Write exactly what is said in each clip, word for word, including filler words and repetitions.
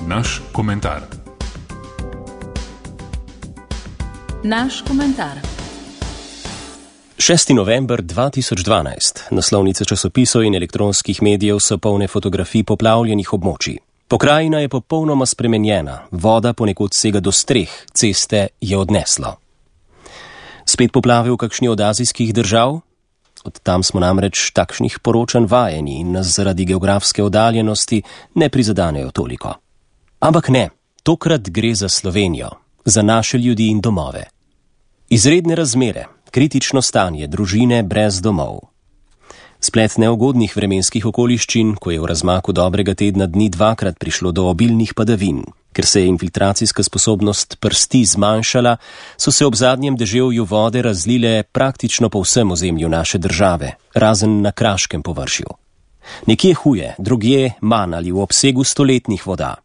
Naš komentar. Naš komentar. šesti november dva tisoč dvanajst. Naslovnice časopisov in elektronskih medijev so polne fotografij poplavljenih območij. Pokrajina je popolnoma spremenjena, voda ponekod sega do streh, ceste je odneslo. Spet poplave v kakšni od azijskih držav? Od tam smo namreč takšnih poročanj vajeni in nas zaradi geografske oddaljenosti ne prizadanejo toliko. Ampak ne, tokrat gre za Slovenijo, za naše ljudi in domove. Izredne razmere, kritično stanje, družine brez domov. Splet neugodnih vremenskih okoliščin, ko je v razmaku dobrega tedna dni dvakrat prišlo do obilnih padavin. Ker se je infiltracijska sposobnost prsti zmanjšala, so se ob zadnjem deževju vode razlile praktično po vsem ozemlju naše države, razen na kraškem površju. Nekje huje, drugje manj ali v obsegu stoletnih voda.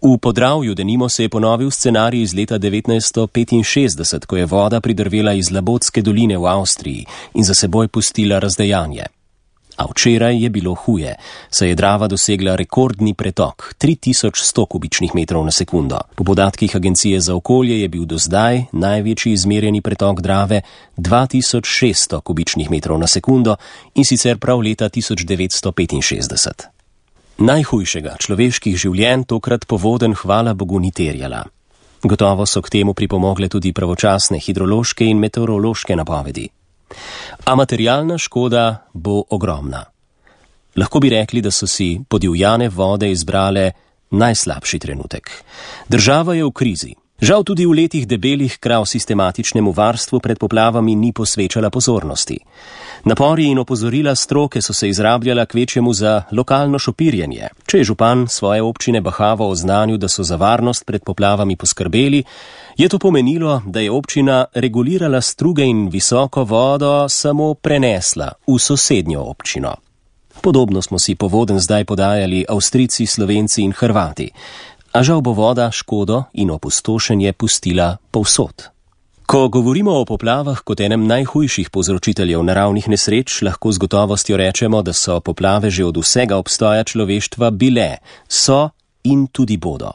V Podravju denimo se je ponovil scenarij iz leta devetnajststo petinšestdeset, ko je voda pridrvela iz Labotske doline v Avstriji in za seboj pustila razdejanje. A včeraj je bilo huje, saj je Drava dosegla rekordni pretok, tri tisoč sto kubičnih metrov na sekundo. Po podatkih Agencije za okolje je bil do zdaj največji izmerjeni pretok Drave dva tisoč šeststo kubičnih metrov na sekundo in sicer prav leta tisoč devetsto petinšestdeset. Najhujšega človeških življenj tokrat povodenj hvala Bogu ni terjala. Gotovo so k temu pripomogle tudi pravočasne hidrološke in meteorološke napovedi. A materialna škoda bo ogromna. Lahko bi rekli, da so si podivjane vode izbrale najslabši trenutek. Država je v krizi. Žal tudi v letih debelih krav sistematičnemu varstvu pred poplavami ni posvečala pozornosti. Napori in opozorila stroke so se izrabljala kvečjemu za lokalno šopirjenje. Če je župan svoje občine bahavo oznanil, da so za varnost pred poplavami poskrbeli, je to pomenilo, da je občina regulirala struge in visoko vodo samo prenesla v sosednjo občino. Podobno smo si povodenj zdaj podajali Avstrijci, Slovenci in Hrvati. A žal bo voda škodo in opustošenje pustila povsod. Ko govorimo o poplavah kot enem najhujših povzročiteljev naravnih nesreč, lahko z gotovostjo rečemo, da so poplave že od vsega obstoja človeštva bile, so in tudi bodo.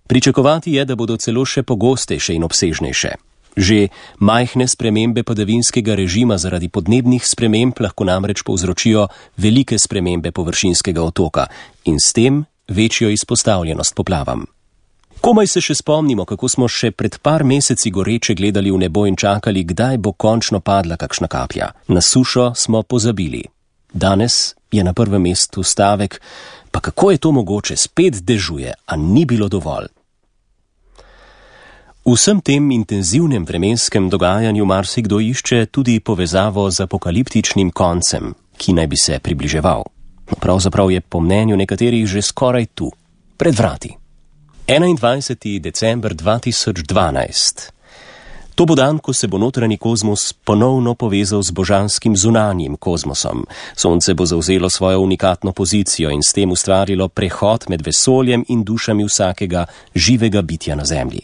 Pričakovati je, da bodo celo še pogostejše in obsežnejše. Že majhne spremembe padavinskega režima zaradi podnebnih sprememb lahko namreč povzročijo velike spremembe površinskega otoka in s tem večjo izpostavljenost poplavam. Komaj se še spomnimo, kako smo še pred par meseci goreče gledali v nebo in čakali, kdaj bo končno padla kakšna kaplja. Na sušo smo pozabili. Danes je na prvem mestu stavek, pa kako je to mogoče, spet dežuje, a ni bilo dovolj. V vsem tem intenzivnem vremenskem dogajanju marsikdo išče tudi povezavo z apokaliptičnim koncem, ki naj bi se približeval. Pravzaprav je po mnenju nekaterih že skoraj tu, pred vrati. enaindvajseti december dva tisoč dvanajst. To bo dan, ko se bo notranji kozmos ponovno povezal z božanskim zunanjim kozmosom. Sonce bo zavzelo svojo unikatno pozicijo in s tem ustvarilo prehod med vesoljem in dušami vsakega živega bitja na Zemlji.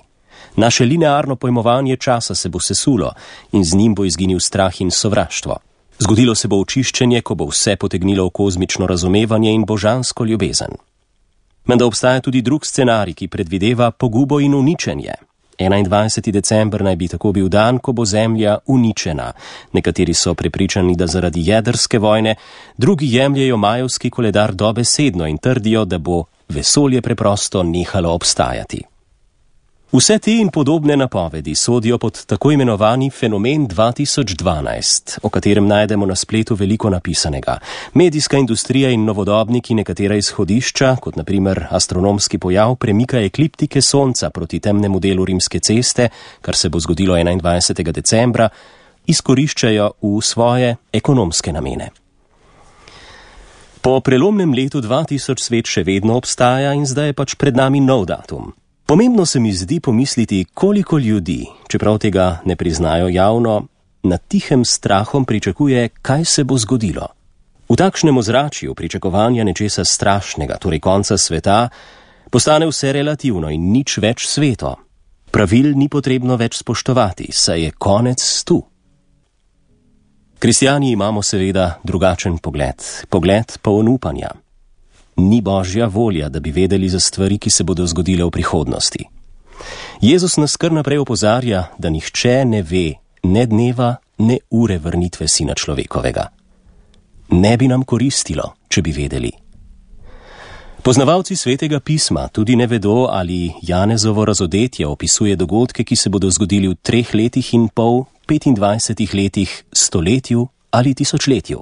Naše linearno pojmovanje časa se bo sesulo in z njim bo izginil strah in sovraštvo. Zgodilo se bo očiščenje, ko bo vse potegnilo v kozmično razumevanje in božansko ljubezen. Menda obstaja tudi drug scenarij, ki predvideva pogubo in uničenje. enaindvajseti december naj bi tako bil dan, ko bo Zemlja uničena. Nekateri so prepričani, da zaradi jedrske vojne, drugi jemljejo majevski koledar dobesedno in trdijo, da bo vesolje preprosto nehalo obstajati. Vse te in podobne napovedi sodijo pod tako imenovani fenomen dva tisoč dvanajst, o katerem najdemo na spletu veliko napisanega. Medijska industrija in novodobniki nekatera izhodišča, kot na primer astronomski pojav premika ekliptike Sonca proti temnemu delu Rimske ceste, kar se bo zgodilo enaindvajsetega decembra, izkoriščajo v svoje ekonomske namene. Po prelomnem letu dva tisoč svet še vedno obstaja in zdaj je pač pred nami nov datum. Pomembno se mi zdi pomisliti, koliko ljudi, čeprav tega ne priznajo javno, nad tihem strahom pričakuje, kaj se bo zgodilo. V takšnem ozračju pričakovanja nečesa strašnega, torej konca sveta, postane vse relativno in nič več sveto. Pravil ni potrebno več spoštovati, saj je konec tu. Kristjani imamo seveda drugačen pogled, pogled poln upanja. ni božja volja, da bi vedeli za stvari, ki se bodo zgodile v prihodnosti. Jezus nas kar naprej opozarja, da nihče ne ve ne dneva, ne ure vrnitve Sina človekovega. Ne bi nam koristilo, če bi vedeli. Poznavalci Svetega pisma tudi ne vedo, ali Janezovo razodetje opisuje dogodke, ki se bodo zgodili v treh letih in pol, petindvajsetih letih, stoletju ali tisočletju.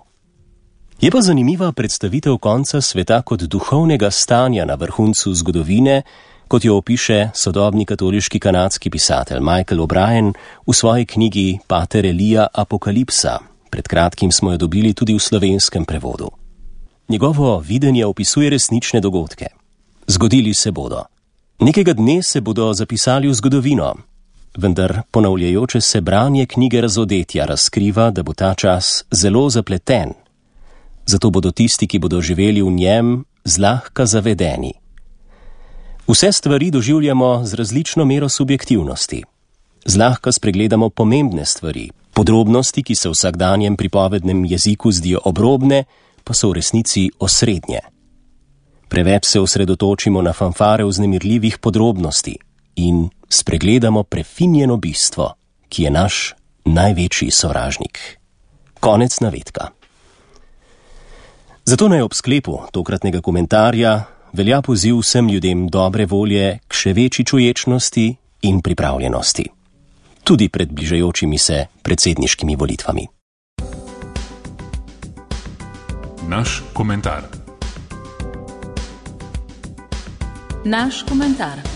Je pa zanimiva predstavitev konca sveta kot duhovnega stanja na vrhuncu zgodovine, kot jo opiše sodobni katoliški kanadski pisatelj Michael O'Brien v svoji knjigi Pater Elija Apokalipsa. Pred kratkim smo jo dobili tudi v slovenskem prevodu. Njegovo videnje opisuje resnične dogodke. Zgodili se bodo. Nekega dne se bodo zapisali v zgodovino, vendar ponavljajoče se branje knjige razodetja razkriva, da bo ta čas zelo zapleten. Zato bodo tisti, ki bodo živeli v njem, zlahka zavedeni. Vse stvari doživljamo z različno mero subjektivnosti. Zlahka spregledamo pomembne stvari, podrobnosti, ki se v vsakdanjem pripovednem jeziku zdijo obrobne, pa so v resnici osrednje. Preveč se osredotočimo na fanfare vznemirljivih podrobnosti in spregledamo prefinjeno bistvo, ki je naš največji sovražnik. Konec navedka. Zato naj ob sklepu tokratnega komentarja velja poziv vsem ljudem dobre volje k še večji čuječnosti in pripravljenosti. Tudi pred bližajočimi se predsedniškimi volitvami. Naš komentar. Naš komentar.